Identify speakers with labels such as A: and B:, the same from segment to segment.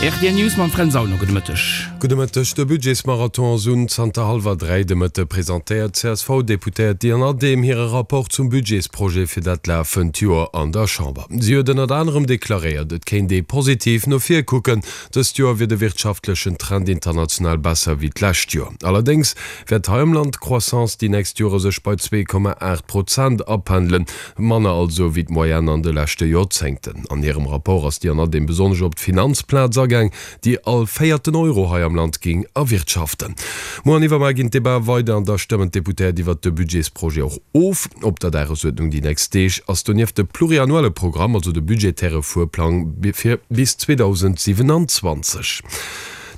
A: Rtl News mam Fränz Aulner. Gudde Mëtteg.
B: Gudde Mëtteg. De Budgetsmarathon ass un. Zanter hallwer 3 de Mëtte presentéiert d'CSV-Deputéiert Diane Adehm hire Rapport zum Budgetsprojet fir dat lafend Joer an der Chamber. Si huet ënnert anerem deklaréiert, et kéint ee positiv no vir kucken. Dëst Joer wier de wirtschaftlechen Trend international besser wéi d'lescht Joer. Allerdéngs wäert hei am Land d'Croissance déi nächst Jore sech bei 2,8 Prozent apendelen. Manner also wéi d'Moyenne an de leschte Joerzéngten. An hirem Rapport ass déi Anadeem besonnesch op d'Finanzplaz agaang, déi all véierten Euro hei am Land géing erwirtschaften. Muer an iwwermuer ginn d'Debatë weider an da stëmmen d'Deputéiert iwwert de Budgetsprojet och of. Op der Dagesuerdnung déi nächst Deeg ass donieft de pluriannuelle Programm, also de budgetäre Fuerplang fir bis 2027.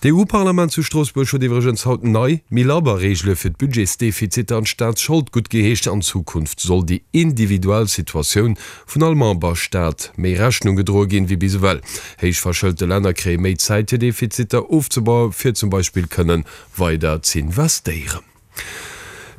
B: D'EU-Parlament zu Stroossbuerg huet iwwregens haut nei, méi labber Reegele fir d'Budgetsdefiziter an d'Staatsschold guttgeheescht. An Zukunft soll déi individuell Situatioun vun all Memberstaat méi Rechnung gedroe ginn, wéi bis ewell. Héich verschëlte Länner kréie méi Zäit, hir Defiziter ofzebaue fir zum Beispill kënne weider z'investéieren.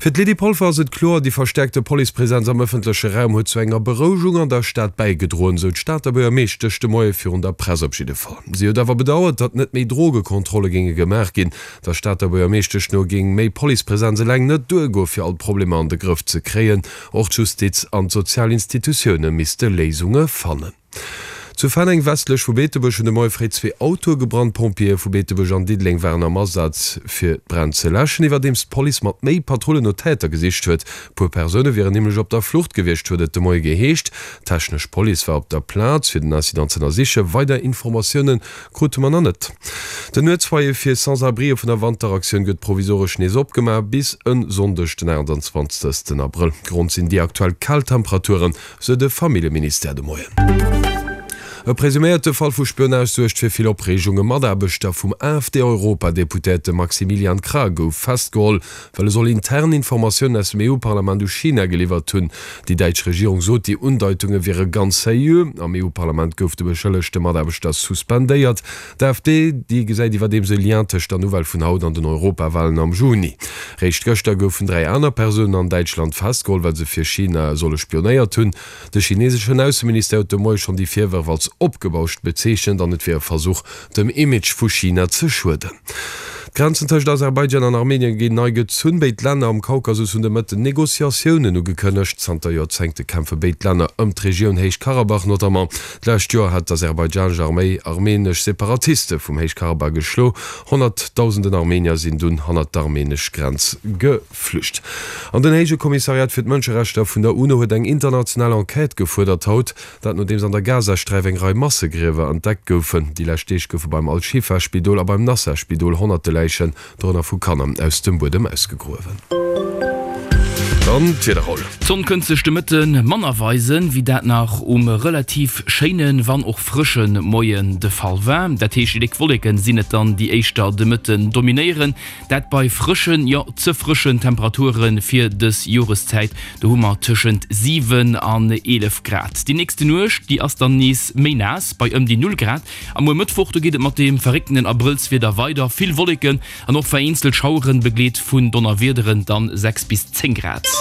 B: Fir d'Lydie Polfer ass et kloer, déi verstäerkte Policepresenz am ëffentleche Raum huet zu enger Berouegung an der Stad bäigedroen, sou d'Stater Buergermeeschtesch de Moie virun der Press op jidde Fall. Si huet awer bedauert, datt net méi Drogekontrolle géinge gemaach ginn. Der Stater Buergermeeschtesch no géing méi Policepresenz eleng net duergoe fir all d'Problemer an de Grëff ze kréien. Och d'Justiz an d'sozial Institutioune misste Léisunge fannen. Zu Fenneng, westlech vu Beetebuerg, hunn de Moie fréi zwee Autoe gebrannt. D'Pompjeeë vu Beetebuerg an Diddeleng waren am Asaz, fir d'Bränn ze läschen, iwwerdeems d'Police mat méi Patrullen no Täter gesicht huet. E puer Persoune wieren nämlech op der Flucht gewiescht, huet et de Moie geheescht. D'technesch Police war op der Plaz, fir den Incident z'ënnersichen. Weider Informatioune krute mer nach net. Den Nuetsfoyer fir Sans-abrien vun der Wanteraktioun gëtt provisoresch nees opgemaach, bis e Sonndeg den 28 Abrëll. Grond sinn déi aktuell kal Temperaturen. Sou de Familljeministère de Moien. E presuméierte Fall vu Spionage suergt fir vill Opreegung. E Mataarbechter vum AfD-Europadeputéierte Maximilian Krah gouf festgeholl, well e soll intern Informatiounen aus dem EU-Parlament u China geliwwert hunn. Déi däitsch Regierung sot, déi Undeitunge wiere ganz seriö. Am EU-Parlament gouf de beschëllegte Mataarbechter suspendéiert. D'AfD, déi gesäit iwwerdeems e Lien tëscht der Nouvelle vun haut an den Europawalen am Juni. Réischt gëschter goufen 3 aner Persounen an Däitschland festgeholl, well se fir China solle spionéiert hunn. De chineseschen Ausseministère huet de Moie schonn déi Virwërf als opgebauscht bezeechent an et wier e Versuch, dem Image vu China ze schueden. D'Grenzen tëscht Aserbaidschan an Armenien ginn nei gezunn. Béid Länner am Kaukasus hunn de Mëtten Negociatiounen ugekënnegt. Zanter Joerzéngte kämpfe béid Länner ëm d'Regioun Héich-Karabach notamment. D'lescht Joer hat d'aserbaidschanesch Arméi armeenesch Separatiste vum Héich-Karabach geschlo. Honnertdausenden Armeenier sinn dunn hannert d'armeenesch Grenz geflücht. An den Héije Kommissariat fir d'Mënscherechter vun der UNO huet eng international Enquête gefuerdert haut. Dat nodeems an der Gazasträif eng Rei Massegriewer entdeckt goufen. Déi lescht Deeg goufe beim Al-Shifa-Spidol a beim Nasser-Spidol honnerte Läichen Dorënner vu Kanner, aus dem Buedem ausgegruewen. Dann d'Wieder, Raoul.
A: D'Sonn kënnt sech de Mëtte manner weisen, wéi dat nach um relativ schéinen, wann och frësche Moien de Fall war. Dat heescht, déi déck Wolleken sinn et dann, déi éischter de Mëtten dominéieren. Dat bei frëschen, jo ze frëschen Temperature fir dës Joreszäit. Do hu mer tëschent 7 an 11 Grad. Déi nächste Nuecht, déi ass dann nees méi naass, bei ëm déi 0 Grad. A muer Mëttwoch, do geet et mat deem verrécktenen Abrëllswieder weider, vill Wolleken an och vereenzelt Schaueren, begleet vun Donnerwiederen, dann 6 bis 10 Grad.